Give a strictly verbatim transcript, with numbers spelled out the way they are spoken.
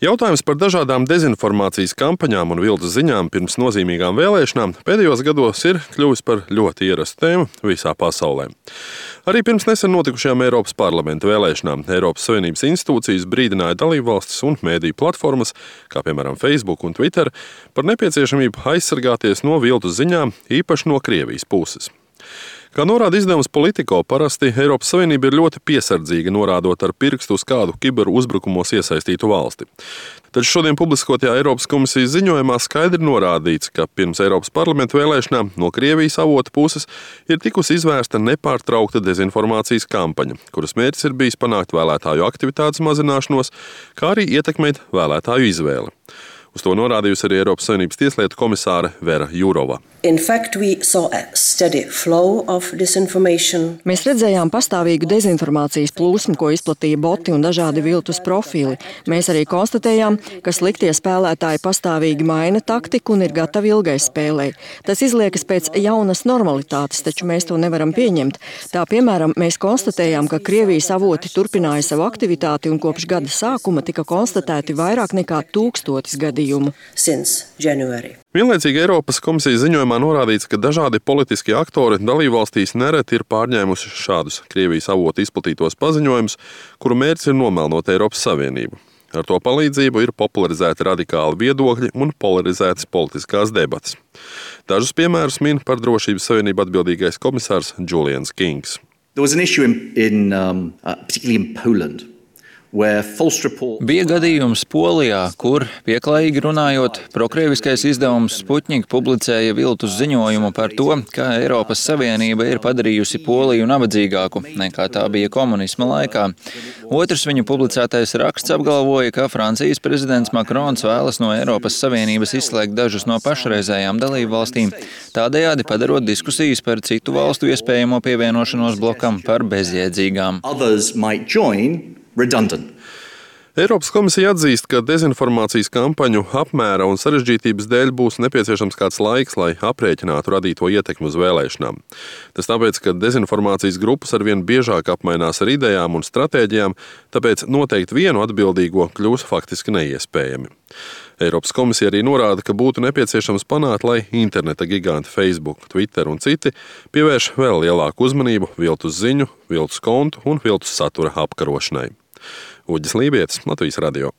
Jautājums par dažādām dezinformācijas kampaņām un viltus ziņām pirms nozīmīgām vēlēšanām pēdējos gados ir kļuvis par ļoti ierastu tēmu visā pasaulē. Arī pirms nesen notikušajām Eiropas parlamenta vēlēšanām Eiropas Savienības institūcijas brīdināja dalībvalstis un mēdīju platformas, kā piemēram Facebook un Twitter, par nepieciešamību aizsargāties no viltus ziņām, īpaši no Krievijas puses. Kā norāda izdevums Politico, parasti Eiropas Savienība ir ļoti piesardzīga norādot ar pirkstu uz kādu kiberu uzbrukumos iesaistītu valsti. Taču šodien publiskotajā Eiropas komisijas ziņojumā skaidri norādīts, ka pirms Eiropas parlamenta vēlēšanām no Krievijas avota puses ir tikusi izvērsta nepārtraukta dezinformācijas kampaņa, kuras mērķis ir bijis panākt vēlētāju aktivitātes mazināšanos, kā arī ietekmēt vēlētāju izvēli. Uz to norādījusi arī Eiropas Savienības tieslietu komisāre Vera Jurova. Fact, Mēs redzējām pastāvīgu dezinformācijas plūsmu, ko izplatīja boti un dažādi viltus profili. Mēs arī konstatējām, ka sliktie spēlētāji pastāvīgi maina taktiku un ir gatavi ilgai spēlei. Tas izliekas pēc jaunas normalitātes, taču mēs to nevaram pieņemt. Tā piemēram, mēs konstatējām, ka Krievijas avoti turpināja savu aktivitāti un kopš gada sākuma tika konstatēti vairāk nekā tūkstotis gadījumu. Vienlaicīgi Eiropas komisijas ziņojumā norādīts, ka dažādi politiskie aktori dalībvalstīs nereti ir pārņēmuši šādus Krievijas avotu izplatītos paziņojumus, kuru mērķis ir nomelnot Eiropas Savienību. Ar to palīdzību ir popularizēti radikāli viedokļi un polarizētas politiskās debates. Dažus piemērus min par drošības savienību atbildīgais komisārs Julians Kings. There was an issue in, in um, uh, particularly in Poland. Bija gadījums Polijā, kur, pieklājīgi runājot, prokrieviskais izdevums Sputnik publicēja viltus ziņojumu par to, ka Eiropas Savienība ir padarījusi Poliju nabadzīgāku, nekā tā bija komunisma laikā. Otrs viņu publicētais raksts apgalvoja, ka Francijas prezidents Makrons vēlas no Eiropas Savienības izslēgt dažus no pašreizējām dalību valstīm, tādējādi padarot diskusijas par citu valstu iespējamo pievienošanos blokam par bezjēdzīgām. Redundant. Eiropas komisija atzīst, ka dezinformācijas kampaņu apmēra un sarežģītības dēļ būs nepieciešams kāds laiks, lai aprēķinātu radīto ietekmi uz vēlēšanām. Tas tāpēc, ka dezinformācijas grupas arvien biežāk apmainās ar idejām un stratēģijām, tāpēc noteikt vienu atbildīgo kļūs faktiski neiespējami. Eiropas komisija arī norāda, ka būtu nepieciešams panākt, lai interneta giganti Facebook, Twitter un citi pievērš vēl lielāku uzmanību viltus ziņu, viltus kontu un viltus satura apkarošanai. Uģis Lībietis, Latvijas radio.